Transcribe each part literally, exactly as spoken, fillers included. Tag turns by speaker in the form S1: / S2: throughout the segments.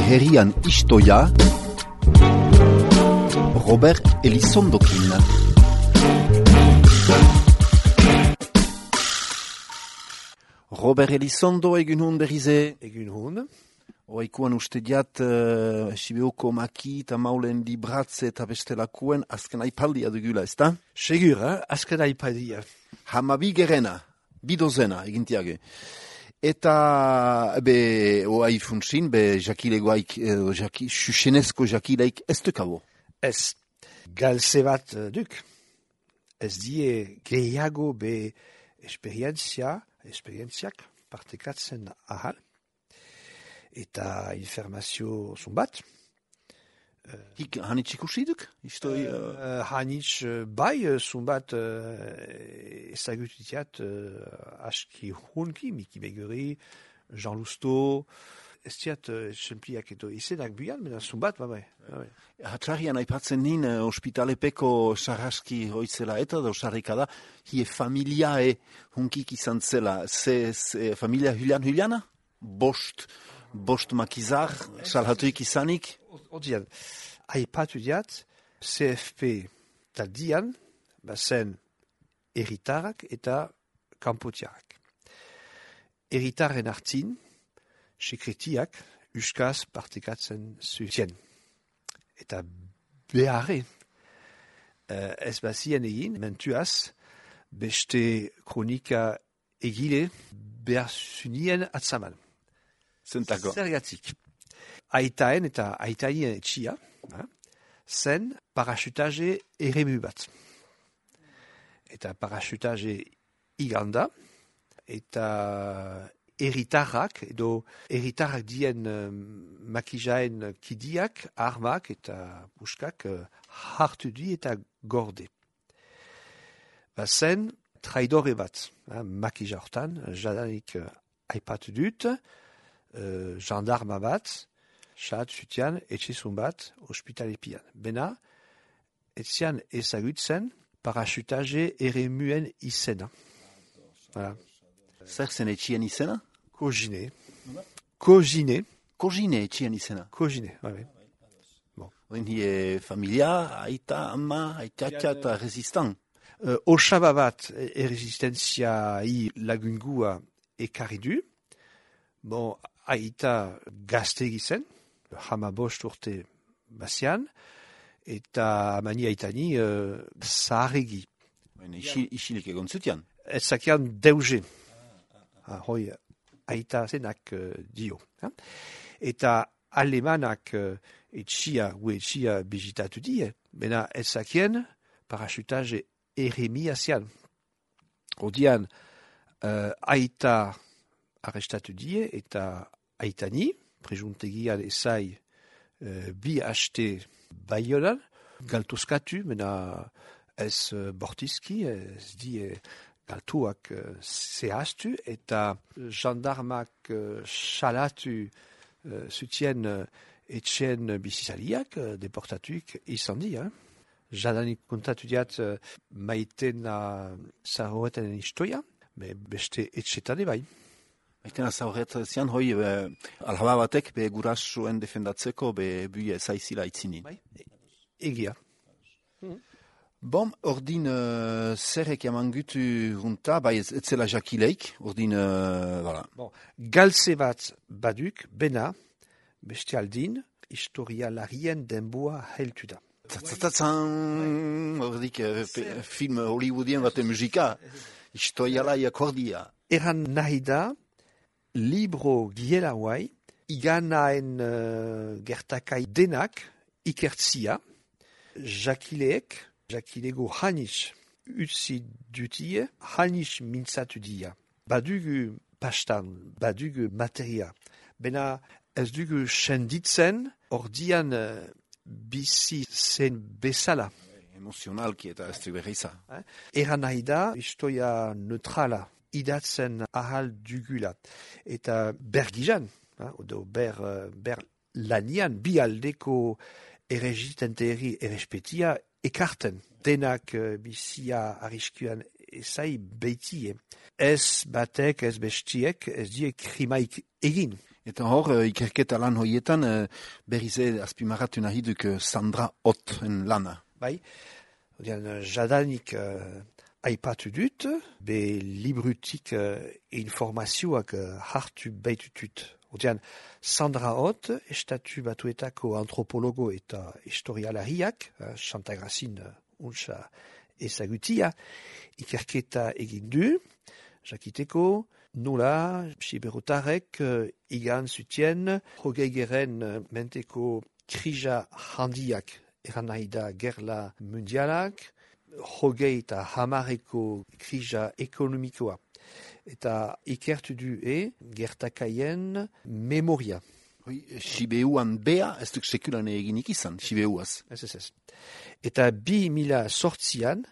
S1: herrian istoia Robert Elizondokin. Robert Elizondo egun hon berrize.
S2: Egun hon.
S1: Oaikuan uste diat uh, Sibeuko maki eta maulen libratze eta bestelakuen azken aipaldia dugula, ezta?
S2: Segur, eh? Azken aipaldia.
S1: Hamabi gerena, bidozena egintiage. Eta, be, oai funtsin, be, jakilegoaik, eh, jaki, xuxenezko jakileik ez dukabo.
S2: Ez, galze bat duk. Ez die gehiago be esperientzia, esperientziak partekatzen ahal. Eta informazio zumbat.
S1: Hik hanitz ikusiduk? Istoi, uh...
S2: uh, hanitz bai zumbat uh, ezagutitiat uh, aski hunki, Miki Beguri, Jean Lousteau, ez diat txempliak edo izenak buian, mena zumbat, ba bai.
S1: Hatzarian aipatzen nin uh, ospitalepeko sarraski hoitzela eta da osarrika da, hie familiae hunkik izan zela, ze, ze familia Julian Juliana? Bost, bost makizar, salhatuik izanik?
S2: Odian, aipatu diat, C F P taldian, bazen eritarrak eta kanpotiarrak. Eritarren hartzin, sekretiak, uskaz partekatzen zutien. Eta beharre, uh, ez bazien egin, mentuaz, beste kronika egile behar zunien atzaman.
S1: Zentako.
S2: Zergatik. Aitaen eta aitaien etxia, ha, zen parachutaje eremu bat. Eta parachutaje iganda, eta eritarrak, edo eritarrak dien um, makijaen kidiak, armak eta puskak uh, hartu di eta gorde. Ba zen traidore bat, ha, makija hortan, jadanik uh, aipatu dut, uh, gendarma bat, xat zutian, etxezun bat, ospitalepian. Bena, etzian ezagutzen parachutaje eremuen izena. Voilà.
S1: Zer zen etxien izena?
S2: Kogine. Kogine.
S1: Kogine etxien izena?
S2: Kogine, bai.
S1: Bon. Oin hie familia, aita, ama, aitatxa eta resistant.
S2: Uh, Osaba bat erresistenzia i lagungua ekarri du. Bon, aita gazte gizen, hama bost urte bazian, eta mani aitani uh, zaharregi.
S1: Isilik egon zutian?
S2: Ez zakian deuze. Ah, hoi, aita zenak uh, dio. Ha? Eta alemanak uh, etxia, gu etxia bizitatu die, bena ez zakien parachutaje eremi azian. Odian, uh, aita arrestatu die eta aitani, prejuntegian ezai uh, bi haste baionan, galtozkatu, mena ez uh, bortizki, ez die galtuak uh, zehaztu, eta gendarmak uh, salatu uh, zutien uh, etxen bizizaliak, uh, deportatuik izan di, eh? Jadanik kontatu diat uh, maitena zahoretenen istoia, me beste etxetane bai.
S1: Maitena zahoretzen hoi be, alhaba batek be gurasuen defendatzeko be bue zaizila itzinin.
S2: Bai, egia. Mm-hmm.
S1: Bom, ordin uh, zerrek emangutu junta, bai ez, ez zela jakileik, ordin, uh, voilà.
S2: Bon, galtze bat baduk, bena, beste aldin, historialarien denboa heltu da.
S1: Zatzatzan, ordik, uh, film hollywoodien baten musika, historialai akordia.
S2: Eran nahi da, libro giela huai, iganaen uh, gertakai denak ikertzia, jakileek, jakilego hanis utzi dutie, hanis mintzatu dia. Badugu pastan, badugu materia. Bena ez dugu senditzen, ordian uh, bizi zen bezala.
S1: Emozionalki eta ez du berriza.
S2: Eh? Eran nahi da, historia neutrala, idatzen ahal dugula. Eta bergizan, eh? Odo ber, ber lanian, bi aldeko erresistenteri errespetia ekarten. Denak uh, bizia arriskuan ezai beitie. Ez batek, ez bestiek, ez die krimaik egin.
S1: Eta hor, uh, ikerketa lan hoietan, uh, berrize azpimarratu nahi duk uh, Sandra Otten lana.
S2: Bai, odian, jadanik uh, aipatu dut, be librutik uh, informazioak uh, hartu baitutut. Odian, Sandra Ott, estatu batuetako antropologo eta historialariak, uh, Santagrazin uh, untsa ezagutia, ikerketa egin du, jakiteko, nola, siberotarek uh, igan zutien, hogeigeren uh, menteko krija handiak eran nahi da gerla mundialak, hogei eta hamareko krija ekonomikoa. Eta ikertu du e gertakaien memoria.
S1: Hoi, Sibeuan bea, ez duk sekulan eginik izan, Sibeuaz.
S2: Ez, ez, ez. Eta bi mila sortzian,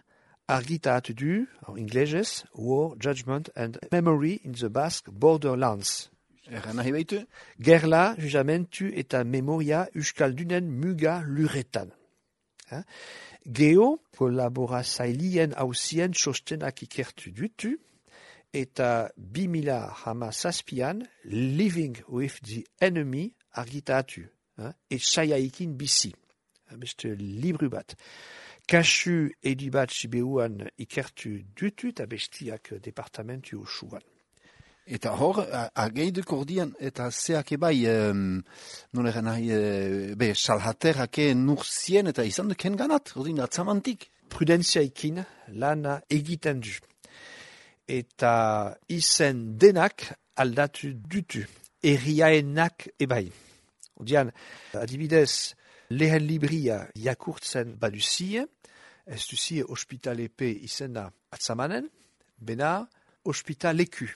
S2: argitatu du, en inglesez, War, Judgment and Memory in the Basque Borderlands.
S1: Erra nahi baitu?
S2: Gerla, juzamentu eta memoria euskaldunen muga luretan. Ha? Geo, kolaborazailien hausien txostenak ikertu dutu, eta bi mila hamazazpian Living with the Enemy argitatu, ha? Et saiaikin bizi. Beste libru bat. Kasu edibat Sibeuan ikertu dutu eta bestiak departamentu usuan.
S1: Eta hor, ageiduk ordian, eta zeak ebai, um, non eran nahi, uh, be, salhaterake nurzien, eta izan duken ganat, ordin atzamantik.
S2: Prudentziaikin lana egiten du. Eta izen denak aldatu dutu, erriaenak ebai. Odian, adibidez, lehen libria jakurtzen baduzie, ez duzie ospitalepe izena atzamanen, bena ospitaleku.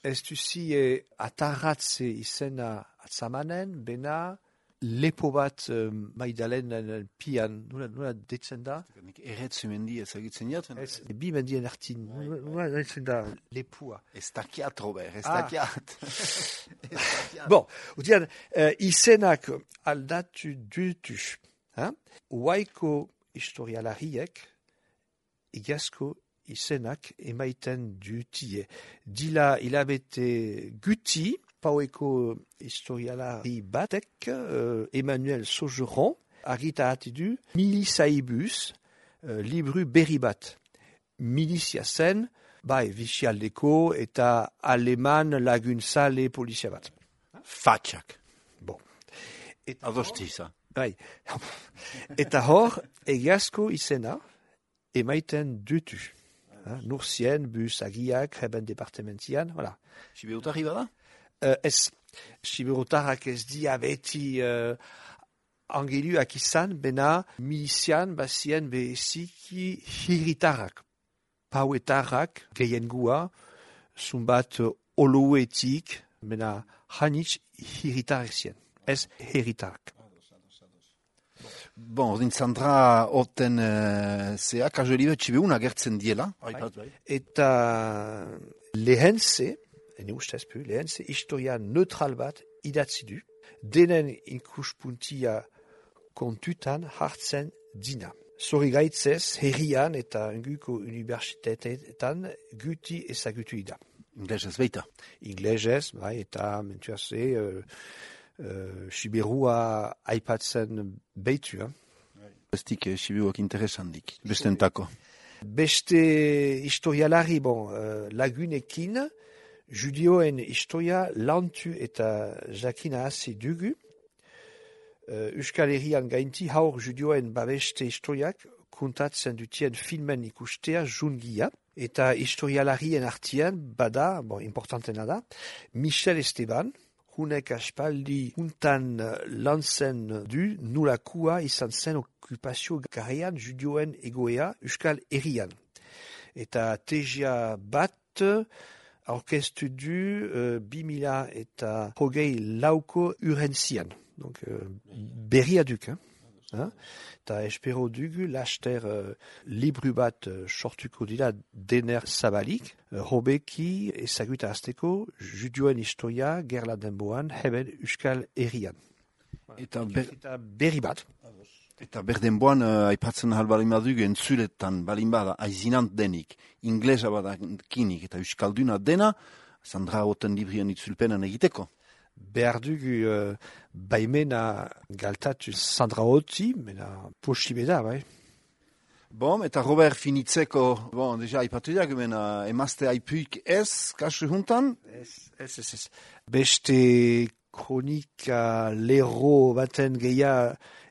S2: Ez duzie atarratze izena atzamanen, bena lepo bat uh, maidalen pian, nula, nula detzen da?
S1: Erretzu mendi ezagitzen jaten?
S2: Ez, bi mendien artin, nula detzen da lepua.
S1: Ez dakiat, Robert, ez dakiat.
S2: Bon, odian, uh, izenak aldatu dutu. Hein? Uaiko historialariek, igazko izenak emaiten dutie. Dila hilabete guti, paueko historialari batek, uh, Emmanuel Saugeron, argitatu du milizaibus, uh, libru berri bat. Milizia zen, bai, bizialdeko eta aleman laguntzale polizia bat.
S1: Fatxak.
S2: Bon.
S1: Adostiza.
S2: Bai. Eta hor, egiazko izena emaiten dutu. Ha, Nurzien, bus, agiak, heben departementian, voilà.
S1: Sibeutarri bada?
S2: Uh, ez, Siberotarrak ez dia beti uh, angeluak izan, bena milizian bazien beziki hiritarrak. Pauetarrak, gehiengua, zumbat uh, oloetik, bena hanitz hiritarrak zien. Ez hiritarrak.
S1: Bon, ordin Sandra Otten uh, zea, kajo libe txibeun agertzen diela.
S2: Bai. Eta lehenze, ene ustez pu, lehenze historia neutral bat idatzi du, denen ikuspuntia kontutan hartzen dina. Zori gaitzez, herrian eta inguko universitateetan guti ezagutu ida.
S1: Inglesez beita.
S2: Inglesez, bai, eta mentuaze, uh, Uh, Siberua aipatzen beitu. Eh?
S1: Bestik eh, Siberuak interesandik, bestentako.
S2: Beste historialari, bon, uh, lagunekin, judioen historia lantu eta jakina hasi dugu. Uh, Euskal Herrian gainti haur judioen babeste historiak kontatzen dutien filmen ikustea jungia. Eta historialarien artian, bada, bon, importantena da, Michel Esteban, hunek aspaldi untan lantzen du nulakua izan zen okupazio garaian judioen egoea Euskal Herrian. Eta tesia bat aurkeztu du uh, bi mila eta hogei lauko urentzian. Donc, uh, berria duk, hein? Hein? Eta espero dugu laster uh, libru bat uh, sortuko dira dener zabalik, uh, hobeki ezaguta azteko judioen historia gerla denboan heben Euskal Herrian.
S1: Eta, ber,
S2: eta berri bat.
S1: Eta berdenboan uh, aipatzen ahal balin badugu entzuletan balin bada aizinant denik, inglesa badakinik eta euskalduna dena, Sandra Otten librian itzulpenan egiteko.
S2: behar dugu uh, baimena galtatu Sandra Otti, mena posible da, bai.
S1: Bon, eta Robert finitzeko, bon, deja aipatu diak, mena emazte aipuik ez, kasu juntan?
S2: Ez, ez, ez, ez. Beste kronika lero baten geia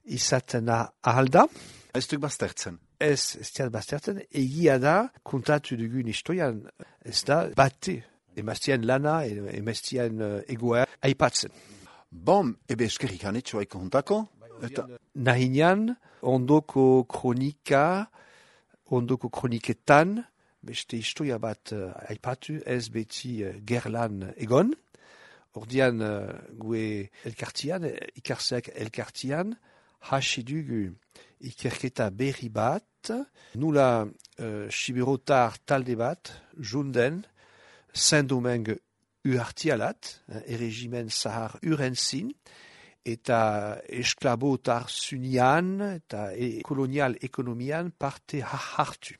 S2: izaten ahalda.
S1: Ez duk baztertzen.
S2: Ez, ez diat baztertzen, egia da, kontatu dugun historian, ez da, bate, emaztien lana, emaztien egoa, aipatzen.
S1: Bon, ebe eskerrik anetxo aiko juntako. Eta...
S2: Nahinean, ondoko kronika, ondoko kroniketan, beste historia bat uh, aipatu, ez beti uh, gerlan egon. Ordian, uh, gue elkartian, ikarseak elkartian, hasi dugu ikerketa berri bat, nula uh, siberotar talde bat, junden, Saint-Domingue uhartialat, erregimen zahar urentzin, eta esklabotar zunian, eta e kolonial ekonomian parte hartu.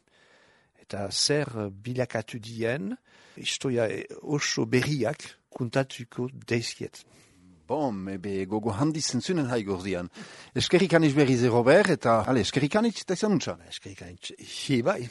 S2: Eta zer bilakatu dien, historia oso berriak kontatuko deizkiet.
S1: Bom, ebe gogo handi zentzunen haigordian. Eskerrik aniz berrize, Robert, eta ale, eskerrik aniz eta izan untsa.
S2: Eskerrik aniz, hi bai.